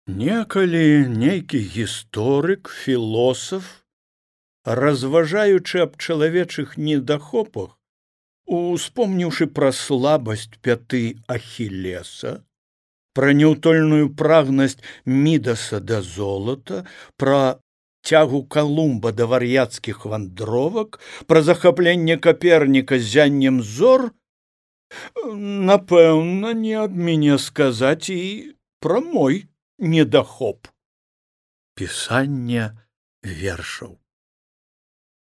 Некалі нейкі гісторык, філосаф, разважаючы аб чалавечых недахопах, успомніўшы пра слабасць пяты Ахілеса, пра няўтольную прагнасць Мідаса да золата, пра цягу Калумба да вар'яцкіх вандровак, пра захапленне Каперніка ззяннем зор, напэўна, не ад мяне сказаць і пра мой недахоп. Пісанне вершаў.